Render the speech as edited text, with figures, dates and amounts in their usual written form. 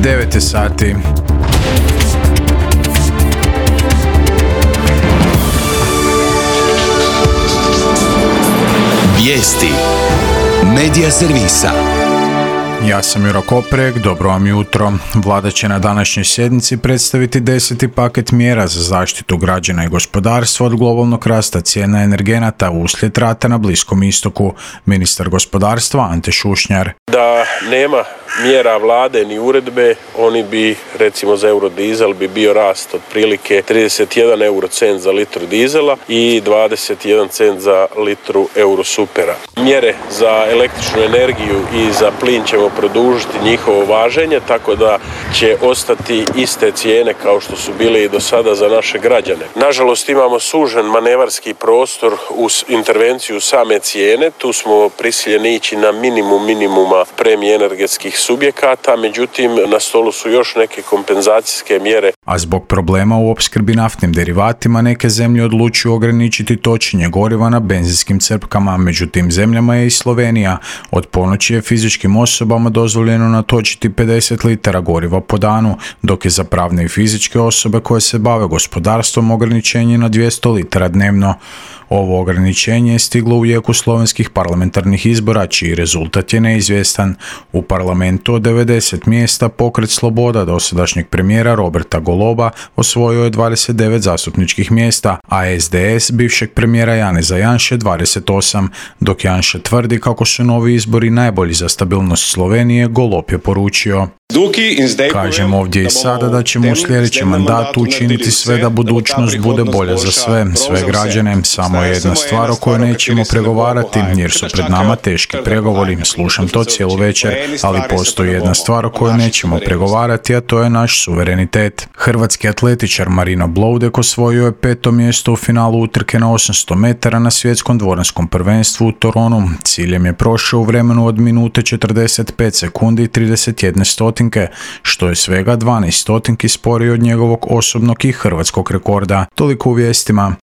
9 sati. Vijesti Medija servisa. Ja sam Juro Koprek, dobro vam jutro. Vlada će na današnjoj sjednici predstaviti 10. paket mjera za zaštitu građana i gospodarstva od globalnog rasta cijena energenata uslijed rata na Bliskom istoku. Ministar gospodarstva Ante Šušnjar. Da nema mjera vlade ni uredbe, oni bi, recimo za eurodizel, bi bio rast otprilike 31 eurocent za litru dizela i 21 cent za litru eurosupera. Mjere za električnu energiju i za plin ćemo produžiti njihovo važenje, tako da će ostati iste cijene kao što su bile i do sada za naše građane. Nažalost, imamo sužen manevarski prostor uz intervenciju same cijene. Tu smo prisiljeni ići na minimuma premije energetskih subjekata, međutim na stolu su još neke kompenzacijske mjere. A zbog problema u opskrbi naftnim derivatima neke zemlje odlučuju ograničiti točenje goriva na benzinskim crpkama, među tim zemljama je i Slovenija. Od ponoći je fizičkim osobama dozvoljeno natočiti 50 litara goriva po danu, dok je za pravne i fizičke osobe koje se bave gospodarstvom ograničenje na 200 litara dnevno. Ovo ograničenje je stiglo u jeku slovenskih parlamentarnih izbora, čiji rezultat je neizvjestan. U parlamentu od 90 mjesta Pokret Sloboda dosadašnjeg premijera Roberta Goloba osvojio je 29 zastupničkih mjesta, a SDS bivšeg premijera Janeza Janše 28, dok Janša tvrdi kako su novi izbori najbolji za stabilnost Slovenije, Golob je poručio. Kažem ovdje i sada da ćemo u sljedećem mandatu učiniti sve da budućnost bude bolja za sve građane. Samo je jedna stvar o kojoj nećemo pregovarati, jer su pred nama teški pregovori. Slušam to cijelu večer, ali postoji jedna stvar o kojoj nećemo pregovarati, a to je naš suverenitet. Hrvatski atletičar Marino Bloudek osvojio je 5. mjesto u finalu utrke na 800 metara na svjetskom dvoranskom prvenstvu u Toronu. Ciljem je prošao u vremenu od minute 45 sekundi i 31 stotinke, što je svega 12 stotinki sporije od njegovog osobnog i hrvatskog rekorda. Toliko u vijestima.